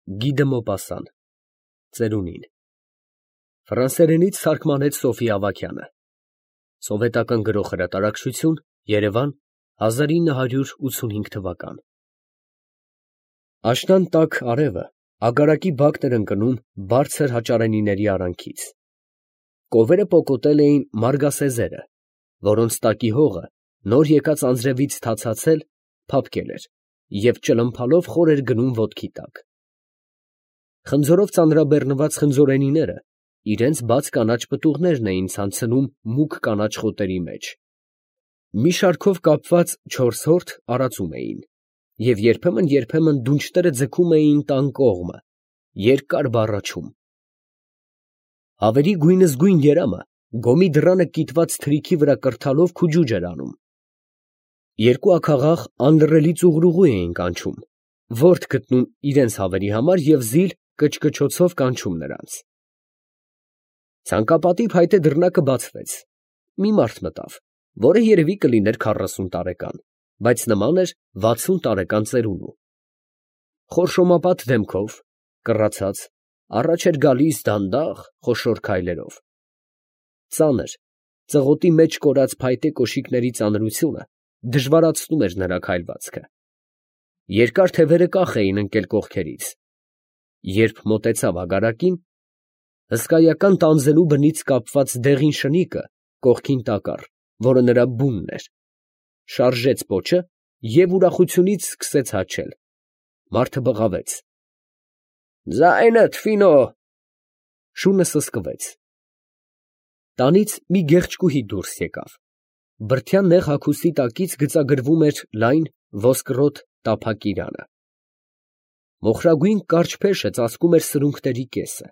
Գի դը Մոպասան, ծերունին։ Ֆրանսերենից թարգմանեց Սոֆի Ավագյանը։ Սովետական Գրող Հրատարակչություն, Երևան, 1985 թվական։ Աշնան տաք արևը ագարակի բակն էր ընկնում բարձր հաճարենիների արանքից։ Կովերը պոկոտել էին մարգասեզերը, որոնց տակի հողը նոր եկած անձրևից թացացել, փափկել էր և ճլմփալով խոր էր գնում ոտքի տակ։ Խնձորով ծանրաբեռնված խնձորենիները իրենց բաց կանաչ պտուղներն էին ցանցնում մուգ կանաչ խոտերի մեջ։ Մի շարքով կապված 4 հորթ արածում էին, և երբեմն դունչները ձգում էին տան կողմը, երկար բառաչում։ Հավերի գույնզգույն երամը գոմի դռանը կիտված թրիքի վրա կրթալով քուջուջ էր անում։ Երկու աքաղաղ անլռելի ծուղրուղու էին կանչում, ворթ գտնում իրենց հավերի համար և զիլ կչկչոցով կանչում նրանց։ Ցանկապատի փայտե դռնակը բացվեց։ Մի մարդ մտավ, որը երևի կլիներ 40 տարեկան, բայց նման էր 60 տարեկան ծերունու։ Խորշոմապատ դեմքով, կռացած, առաջ էր գալիս դանդաղ, խոշոր քայլերով։ Ծանր, ծղոտի մեջ կորած փայտե կոշիկների ծանրությունը դժվարացնում էր նրա քայլվածքը։ Երկար թևերը կախ էին ընկել կողքերից։ Երբ մոտեցավ ագարակին, հսկայական տանձենու բնից կապված դեղին շնիկը կողքին տակառ, որը նրա բունն էր, շարժեց պոչը և ուրախությունից սկսեց հաչել։ Մարդը բղավեց. «Ձայնդ, Ֆինո»։ Շունը սսկվեց։ Տանից մի գեղեցկուհի դուրս եկավ։ Բրդյան նեղ հագուստի տակից գծագրվում էր լայն ոսկրոտ տափակ իրանը։ Մոխրագույն կարճ փեշը ծածկում էր սրունքների կեսը,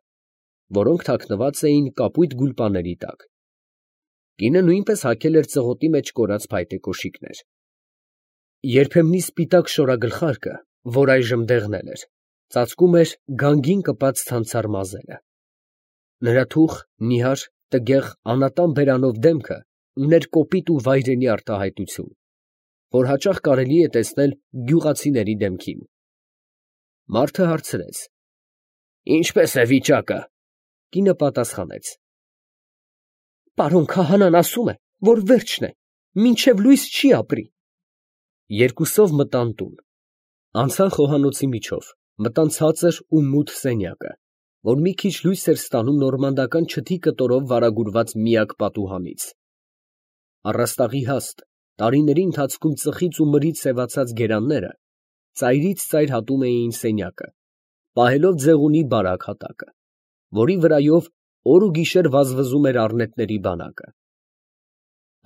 որոնք թաքնված էին կապույտ գուլպաների տակ։ Կինը նույնպես հագել էր ծղոտի մեջ կորած փայտե կոշիկներ։ Երբեմնի սպիտակ շորագլխարկը, որ այժմ դեղնել էր, ծածկում էր գանգին կպած ցանցառ մազերը։ Նրա թուխ, նիհար, տգեղ, անատան բերանով դեմքը ուներ կոպիտ ու վայրենի արտահայտություն, որ հաճախ կարելի է տեսնել գյուղացիների դեմքին։ Մարդը հարցրեց. «Ինչպե՞ս է վիճակը»։ Կինը պատասխանեց. «Պարոն քահանան ասում է, որ վերջն է, մինչև լույս չի ապրի»։ Երկուսով մտան տուն։ Անցան խոհանոցի միջով, մտան ցածր ու մութ սենյակը, որ մի քիչ լույս էր ստանում նորմանդական չթի կտորով վարագուրված միակ պատուհանից։ Առաստաղի հաստ, տարիների ընթացքում ծխից ու մրից սևացած գերանները ծայրից ծայր հատում էին սենյակը, պահելով ձեղունի բարակ հատակը, որի վրայով օր ու գիշեր վազվզում էր առնետների բանակը։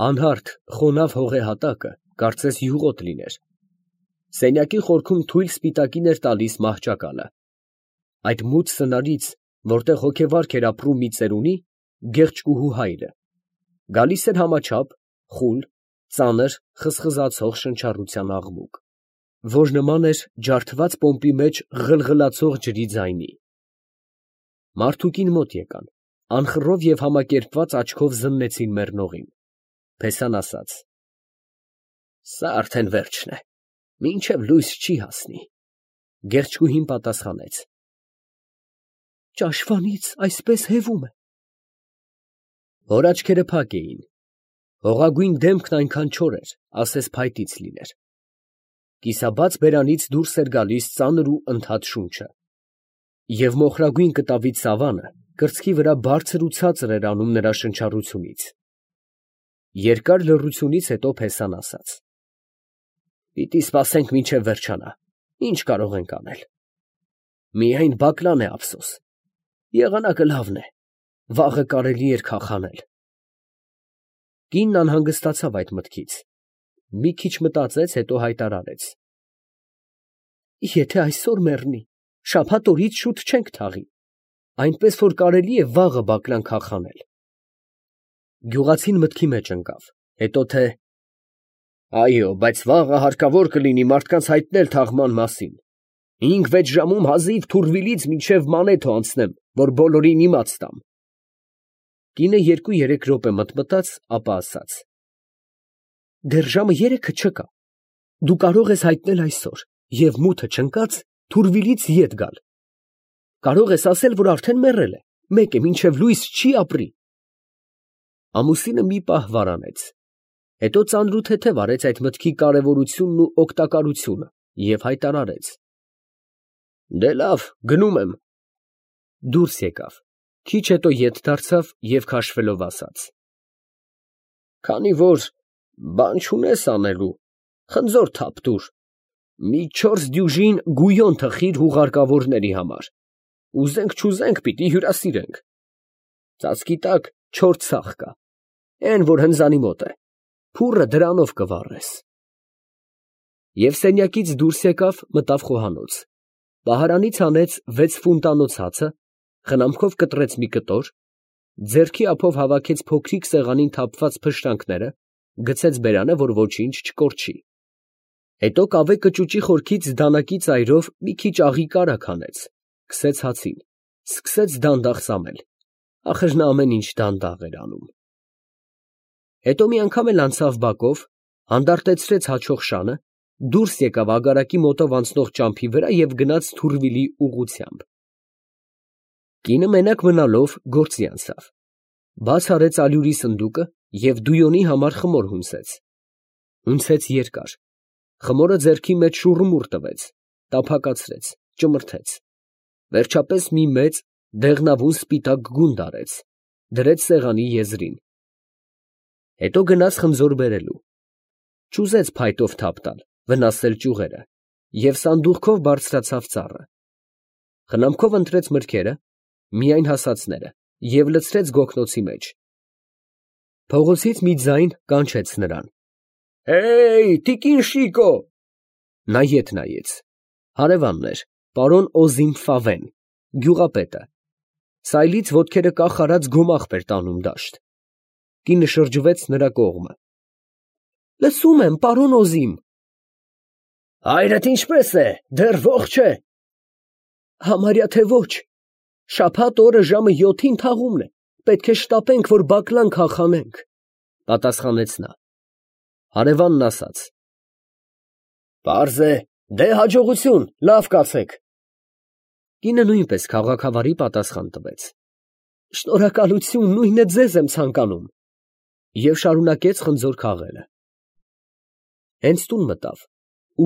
Անհարթ, խոնավ հողե հատակը կարծես յուղոտ լիներ։ Սենյակի խորքում թույլ սպիտակին էր տալիս մահճակալը։ Այդ մութ սնարից, որտեղ հոգեվարք էր ապրում մի ծերունի, գեղեցկուհու հայրը, գալիս էր համաչափ, խուլ, ծանր, խզխզացող շնչառության աղմուկ, որ նման էր ջարդված պոմպի մեջ ղլղլացող ջրի ձայնի։ Մարդուկին մոտ եկան, անխռով և համակերպված աչքով զննեցին մեռնողին։ Փեսան ասաց. «Սա արդեն վերջն է, մինչև լույս չի հասնի»։ Գեղեցկուհին պատասխանեց. «Ճաշվանից այսպես հևում է»։ Հոր աչքերը փակ էին, հողագույն դեմքն այնքան չոր էր, ասես փայտից լիներ։ Կիսաբաց բերանից դուրս էր գալիս ծանր ու ընդհատ շունչը, և մոխրագույն կտավի ծավանը կրծքի վրա բարձր ու ցածր էր անում նրա շնչառությունից։ Երկար լռությունից հետո Փեսան ասաց. «Պիտի սպասենք մինչև վերջանա, ինչ կարող ենք անել։ Միայն Բակլան է ափսոս, եղանակը լավն է, վաղը կարելի էր քաղանել»։ Կինն անհանգստացավ այդ մտքից, մի քիչ մտածեց, հետո հայտարարեց. «Եթե այսօր մեռնի, շաբաթ օրից շուտ չենք թաղի, այնպես որ կարելի է վաղը Բակլան քաղանել»։ Գյուղացին մտքի մեջ ընկավ, հետո թե. «Այո, բայց վաղը հարկավոր կլինի մարդկանց հայտնել թաղման մասին. 5-6 ժամում հազիվ Թուրվիլից մինչև Մանեթո անցնեմ, որ բոլորին իմաց տամ»։ Կինը 2-3 րոպե մտմտաց, ապա ասաց. «Դեռ ժամը 3-ը չկա, դու կարող ես հայտնել այսօր և մութը չընկած Թուրվիլից ետ գալ, Կարող ես ասել, որ արդեն մեռել է, մեկ է, մինչև լույս չի ապրի։ Ամուսինը մի պահ վարանեց, հետո ծանրութեթև արեց այդ մտքի կարևորությունն ու օգտակարությունը և հայտարարեց. «Դե լավ, գնում եմ»։ Դուրս եկավ, քիչ հետո ետ դարձավ և քաշվելով ասաց. «Քանի որ բան չունես անելու, խնձոր թափ տուր, մի 4 դյուժին գույոն թխիր հուղարկավորների համար, ուզենք պիտի հյուրասիրենք, ծածկի տակ 4 ցախ կա, էն որ հնձանի մոտ է, փուռը դրանով կվառես»։ Եվ սենյակից դուրս եկավ, մտավ խոհանոց, պահարանից հանեց 6 ֆունտանոց հացը, խնամքով կտրեց մի կտոր, ձեռքի ափով հավաքեց փոքրիկ սեղանին թափված փշրանքները, գցեց բերանը, որ ոչինչ չկորչի, հետո կավե կճուճի խորքից դանակի ծայրով մի քիչ աղի կարագ հանեց, քսեց հացին, սկսեց դանդաղ սամել, ախր նա ամեն ինչ դանդաղ էր անում։ Հետո մի անգամ էլ անցավ բակով, հանդարտեցրեց հաչող շանը, դուրս եկավ ագարակի մոտով անցնող ճամփի վրա և գնաց Թուրվիլի ուղղությամբ։ Կինը մենակ մնալով գործի անցավ, բաց արեց ալյուրի սնդուկը և դույոնի համար խմոր հունցեց։ Հունցեց երկար, խմորը ձեռքի մեջ շուռումուռ տվեց, տափակացրեց, ճմրթեց, վերջապես մի մեծ, դեղնավուն սպիտակ գունդ արեց, դրեց սեղանի եզրին։ Հետո գնաց խնձոր բերելու, չուզեց փայտով թափ տալ, վնասել ճյուղերը, և սանդուղքով բարձրացավ ծառը, խնամքով ընտրեց մրգերը, միայն հասածները, և լցրեց գոգնոցի մեջ։ Փողոցից մի ձայն կանչեց նրան. «Հեյ, տիկին Շիկո»։ Նա ետ նայեց, հարևանն էր, պարոն Օզիմ Ֆավեն, գյուղապետը, սայլից ոտքերը կախ արած գոմաղբ էր տանում դաշտ։ Կինը շրջվեց նրա կողմը։ «Լսում եմ, պարոն Օզիմ»։ «Հայրդ ինչպե՞ս է, դեռ ողջ է»։ «Համարյա թե ոչ, շաբաթ օրը ժամը 7-ին թաղումն է, պետք է շտապենք, որ բակլան քաղանենք», պատասխանեց նա։ Հարևանն ասաց. «Պարզ է, դե հաջողություն, լավ կացեք»։ Կինը նույնպես քաղաքավարի պատասխան տվեց. «Շնորհակալություն, նույնը ձեզ եմ ցանկանում», և շարունակեց խնձոր քաղելը։ Հենց տուն մտավ,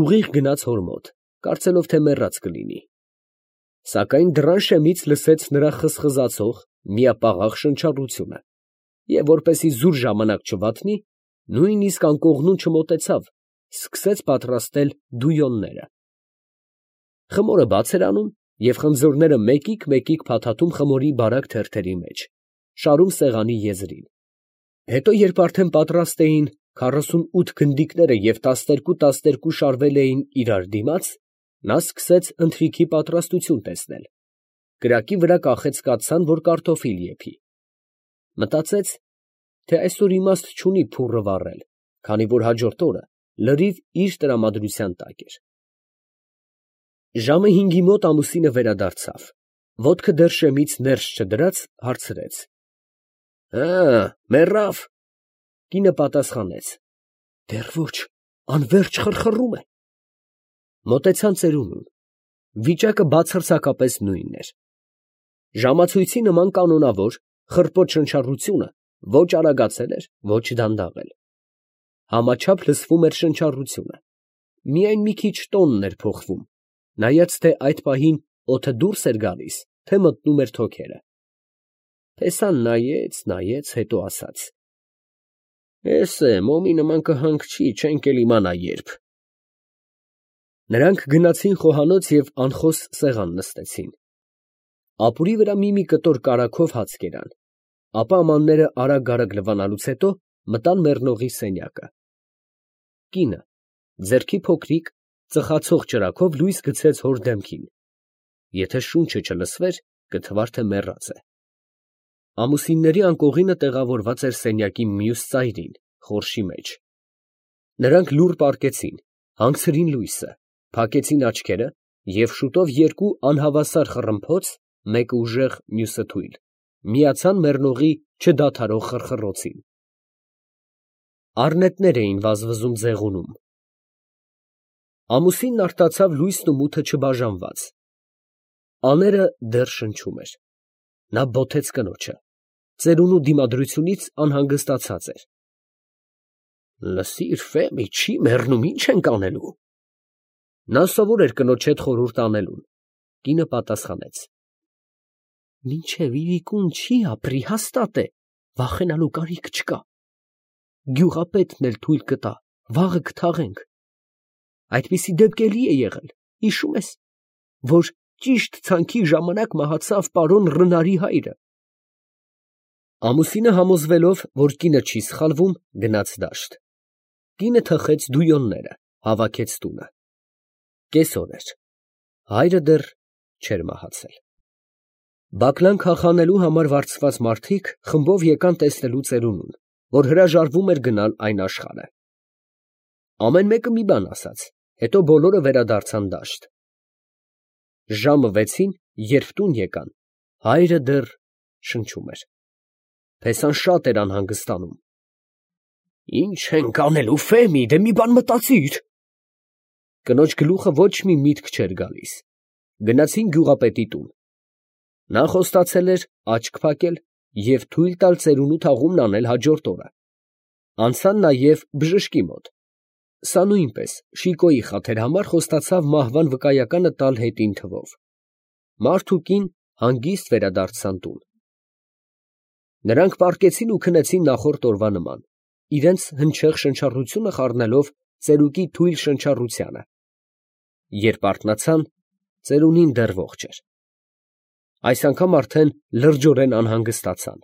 ուղիղ գնաց հոր մոտ, կարծելով, թե մեռած կլինի, սակայն դռան շեմից լսեց նրա խզխզացող, միապաղաղ շնչառությունը, և որպեսզի զուր ժամանակ չվատնի, նույնիսկ անկողնուն չմոտեցավ, սկսեց պատրաստել դույոնները։ Խմորը բաց էր անում և խնձորները մեկիկ փաթաթում խմորի բարակ թերթերի մեջ, շարում սեղանի եզրին։ Հետո, երբ արդեն պատրաստ էին 48 գնդիկները և 12 շարվել էին իրար դիմաց, նա սկսեց ընթրիքի պատրաստություն տեսնել, կրակի վրա կախեց կաթսան, որ կարտոֆիլ եփի։ Մտածեց, թե այսօր իմաստ չունի փուռը վառել, քանի որ հաջորդ օրը լրիվ իր տրամադրության տակ էր։ Ժամը 5-ի մոտ ամուսինը վերադարձավ, ոտքը դեռ շեմից ներս չդրած, հարցրեց. մեռավ։ Կինը պատասխանեց. դեռ ոչ, անվերջ խռխռում է։ Մոտեցան ծերունուն, վիճակը բացարձակապես նույնն էր։ Ժամացույցի նման կանոնավոր, խռպոտ շնչառությունը ոչ արագացել էր, ոչ դանդաղել։ Համաչափ լսվում էր շնչառությունը, միայն մի քիչ տոնն էր փոխվում, նայած թե այդ պահին օդը դուրս էր գալիս, թե մտնում էր թոքերը։ Փեսան նայեց, հետո ասաց. «Էս է, մոմի նման կհանգչի, չենք էլ իմանա երբ»։ Նրանք գնացին խոհանոց և անխոս սեղան նստեցին։ Ապուրի վրա մի կտոր կարագով հաց կերան, ապա ամանները արագ լվանալուց հետո մտան մեռնողի սենյակը։ Կինը ձեռքի փոքրիկ, ծխացող ճրագով լույս գցեց հոր դեմքին. եթե շունչը չլսվեր, կթվար, թե մեռած է։ Ամուսինների անկողինը տեղավորված էր սենյակի մյուս ծայրին, խորշի մեջ։ Նրանք լուռ պառկեցին, հանգցրին լույսը, փակեցին աչքերը և շուտով երկու անհավասար խռմփոց, մեկը ուժեղ, մյուսը թույլ, միացան մեռնողի չդադարող խռխռոցին։ Առնետներ էին վազվզում ձեղունում։ Ամուսինն արտացավ լույսն ու մութը չբաժանված։ Աները դեռ շնչում էր։ Նա բոթեց կնոջը, ծերունու դիմադրությունից անհանգստացած էր։ Լսիր, Ֆեմի, չի մեռնում, ինչ ենք անելու։ Նա սովոր էր կնոջ հետ խորհուրդ անելուն։ Կինը պատասխանեց. Մինչև իրիկուն չի ապրի, հաստատ է, վախենալու կարիք չկա։ Գյուղապետն էլ թույլ կտա, վաղը կթաղենք։ Այդպիսի դեպք էլի է եղել, հիշում ես, որ ճիշտ ցանքի ժամանակ մահացավ պարոն Ռնարի հայրը։ Ամուսինը համոզվելով, որ կինը չի սխալվում, գնաց դաշտ։ Կինը թխեց դույոնները, հավաքեց տունը։ Կեսօր էր։ Հայրը դեռ չէր մահացել։ Բակլան քաղանելու համար վարձված մարդիկ խմբով եկան տեսնելու ծերունուն, որ հրաժարվում էր գնալ այն աշխարհը։ Ամեն մեկը մի բան ասաց, հետո բոլորը վերադարձան դաշտ։ Ժամը 6-ին, երբ տուն եկան, հայրը դեռ շնչում էր։ Փեսան շատ էր անհանգստանում։ Ինչ ենք անելու, Ֆեմի, դե մի բան մտածիր։ Կնոջ գլուխը ոչ մի միտք չէր գալիս։ Գնացին գյուղապետի տուն։ Նա խոստացել էր աչք փակել և թույլ տալ ծերունու թաղումն անել հաջորդ օրը։ Անցան նաև բժշկի մոտ։ Սա նույնպես Շիկոյի խաթեր համար խոստացավ մահվան վկայականը տալ հետին թվով։ Մարդ ու կին հանգիստ վերադարձան տուն։ Նրանք պառկեցին ու քնեցին նախորդ օրվա նման, իրենց հնչեղ շնչառությունը խառնելով ծերուկի թույլ շնչառությանը։ Երբ արթնացան, ծերունին դեռ ողջ էր։ Այս անգամ արդեն լրջորեն անհանգստացան։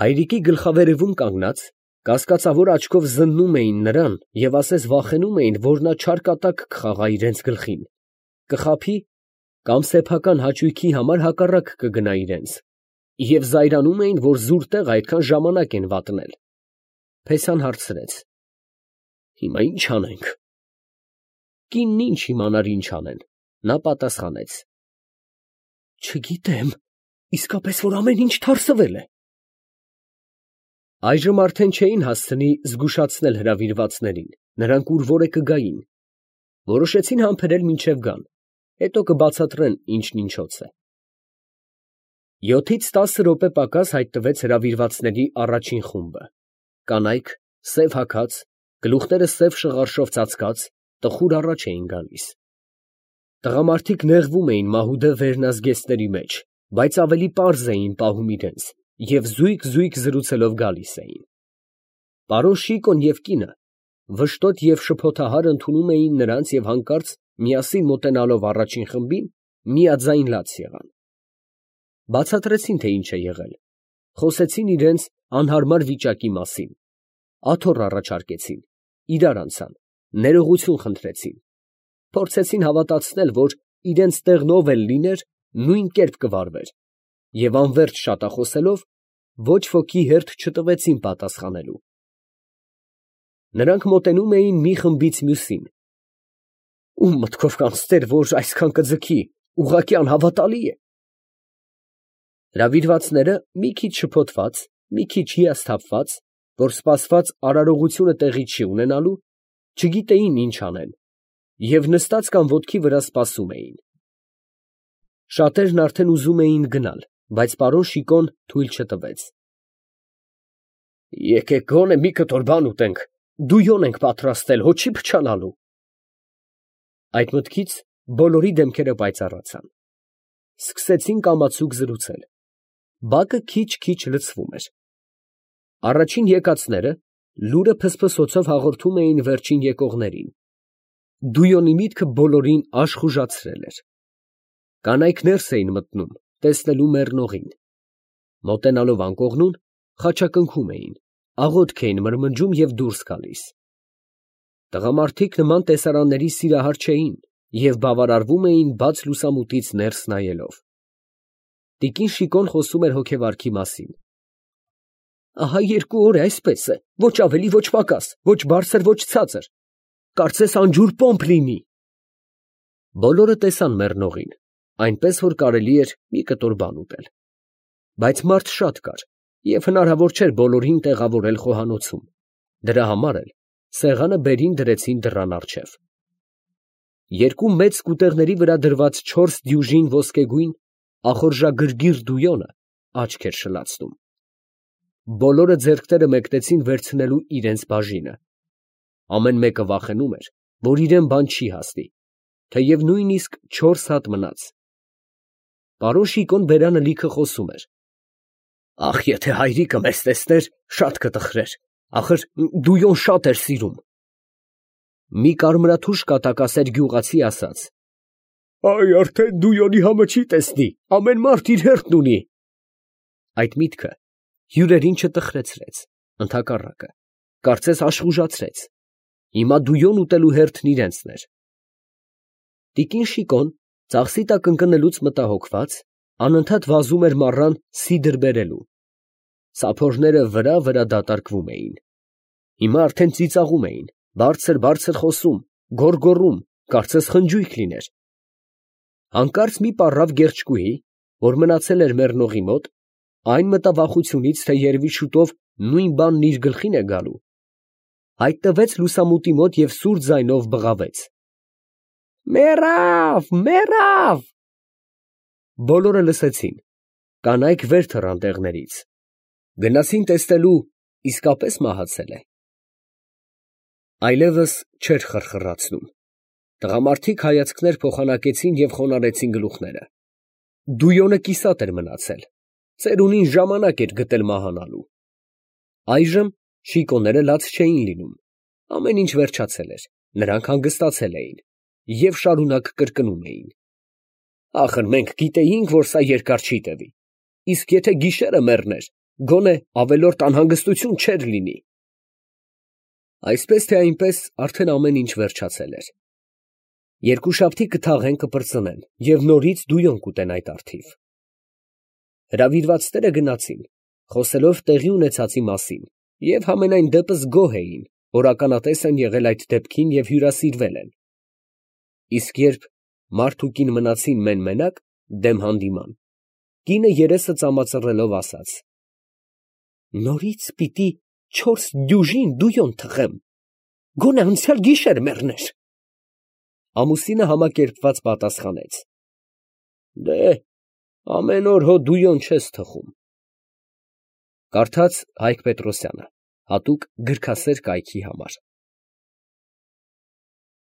Հայրիկի գլխավերևում կանգնած, կասկածավոր աչքով զննում էին նրան և ասես վախենում էին, որ նա չարկատակ կխաղա իրենց գլխին, կխաբի կամ սեփական հաճույքի համար հակառակ կգնա իրենց, և զայրանում էին, որ զուր տեղ այդքան ժամանակ են վատնել։ Փեսան հարցրեց. Հիմա ի՞նչ անենք։ Կինն ինչ իմանար ինչ անեն։ Նա պատասխանեց. Չգիտեմ, իսկապես որ ամեն ինչ թարսվել է։ Այժմ արդեն չէին հասցնի զգուշացնել հրավիրվածներին, նրանք ուր որ է կգային։ Որոշեցին համբերել մինչև գան, հետո կբացատրեն ինչն ինչոց է։ 7-ից 10 րոպե պակաս հայտնվեց հրավիրվածների առաջին խումբը։ Կանայք, սև հագած, գլուխները սև շղարշով ծածկած, տխուր առաջ էին գալիս։ Տղամարդիկ նեղվում էին մահուդե վերնազգեստների մեջ, բայց ավելի պարզ էին պահում իրենց և զույգ զրուցելով գալիս էին։ Պարոն Շիկոն և կինը վշտոտ և շփոթահար ընդունում էին նրանց և հանկարծ միասին մոտենալով առաջին խմբին, միաձայն լաց եղան։ Բացատրեցին, թե ինչ է եղել, խոսեցին իրենց անհարմար վիճակի մասին, աթոռ առաջարկեցին, իրար անցան, ներողություն խնդրեցին, փորձեցին հավատացնել, որ իրենց տեղն ով էլ լիներ, նույն կերպ կվարվեր, և անվերջ շատախոսելով ոչ ոքի հերթ չտվեցին պատասխանելու։ Նրանք մոտենում էին մի խմբից մյուսին։ Ում մտքով կանցներ, որ այսքան կձգի, ուղղակի անհավատալի է։ Հրավիրվածները մի քիչ շփոթված, մի քիչ հիասթափված, որ սպասված արարողությունը տեղի չի ունենալու, չգիտեին ինչ անեն և նստած կամ ոտքի վրա սպասում էին։ Շատերն արդեն ուզում էին գնալ, բայց պարոն Շիկոն թույլ չտվեց։ Եկեք գոնե մի կտոր բան ուտենք, դույոն ենք պատրաստել, հո չի փչանալու։ Այդ մտքից բոլորի դեմքերը պայծառացան։ Սկսեցին կամացուկ զրուցել։ Բակը քիչ լցվում էր։ Առաջին եկածները լուրը փսփսոցով հաղորդում էին վերջին եկողներին։ Դույոնի միտքը բոլորին աշխուժացրել էր։ Կանայք ներս էին մտնում, տեսնելու մեռնողին։ Մոտենալով անկողնուն, խաչակնքում էին, աղոթք էին մրմնջում և դուրս գալիս։ Տղամարդիկ նման տեսարանների սիրահար չէին և բավարարվում էին բաց լուսամուտից ներս նայելով։ Տիկին Շիկոն խոսում էր հոգեվարքի մասին։ Ահա 2 օր է այսպես է, ոչ ավելի, ոչ պակաս, ոչ բարձր, ոչ ցածր, կարծես անջուր պոմպ լինի։ Բոլորը տեսան մեռնողին, այնպես որ կարելի էր մի կտոր բան ուտել։ Բայց մարդ շատ կար, և հնարավոր չէր բոլորին տեղավորել խոհանոցում։ Դրա համար էլ սեղանը բերին դրեցին դռան առջև։ երկու մեծ սկուտերների վրա դրված 4 դյուժին ոսկեգույն ախորժագրգիռ դույոնը աչք էր շլացնում։ Բոլորը ձեռքները մեկնեցին վերցնելու իրենց բաժինը։ Ամեն մեկը վախենում էր, որ իրեն բան չի հասնի, թեև նույնիսկ 4 հատ մնաց։ Պարոն Շիկոն բերանը լիքը խոսում էր. «Ախ, եթե հայրիկը մեզ տեսներ, շատ կտխրեր, ախր դույոն շատ էր սիրում»։ Մի կարմրաթուշ կատակասեր գյուղացի ասաց. «Այ արդեն դույոնի համը չի տեսնի, ամեն մարդ իր հերթն ունի»։ Այդ միտքը հյուրերին չտխրեցրեց, ընդհակառակը, կարծես աշխուժացրեց. հիմա դույոն ուտելու հերթն իրենցն էր։ Տիկին Շիկոն, ծախսի տակ ընկնելուց մտահոգված, անընդհատ վազում էր մառան սիդր բերելու։ Սափորները վրա դատարկվում էին։ Հիմա արդեն ծիծաղում էին, բարձր խոսում, գոռգոռում, կարծես խնջույք լիներ։ Հանկարծ մի պառավ գեղեցկուհի, որ մնացել էր մեռնողի մոտ, այն մտավախությունից, թե երևի շուտով նույն բանն իր գլխին է գալու, հայտնվեց լուսամուտի մոտ և սուր ձայնով բղավեց. «Մեռավ, մեռավ»։ Բոլորը լսեցին, կանայք վեր թռան տեղներից, գնացին տեսնելու իսկապես մահացել է։ Այլևս չէր խրխրացնում։ Տղամարդիկ հայացքներ փոխանակեցին և խոնարհեցին գլուխները։ Դույոնը կիսատ էր մնացել, ծերունին ժամանակ էր գտել մահանալու։ Այժմ շիկոները լաց չէին լինում, ամեն ինչ վերջացել էր, նրանք հանգստացել էին և շարունակ կրկնում էին. «Ախր մենք գիտեինք, որ սա երկար չի տևի, իսկ եթե գիշերը մեռներ, գոնե ավելորդ անհանգստություն չէր լինի»։ Այսպես թե այնպես արդեն ամեն ինչ վերջացել էր։ Երկուշաբթի կթաղեն, կպրծնեն և նորից դույոն կուտեն այդ առթիվ։ Հրավիրվածները գնացին, խոսելով տեղի ունեցածի մասին, և համենայն դեպս գոհ էին, որ ականատես են եղել այդ դեպքին և հյուրասիրվել են։ Իսկ երբ մարդ ու կին մնացին մեն֊մենակ, դեմ հանդիման, կինը երեսը ծամածռելով ասաց. «Նորից պիտի 4 դյուժին դույոն թխեմ, գոնե անցյալ գիշեր մեռներ»։ Ամուսինը համակերպված պատասխանեց. «Դե, ամեն օր հո դույոն չես թխում»։ Կարդաց Հայկ Պետրոսյանը, հատուկ գրքասեր կայքի համար։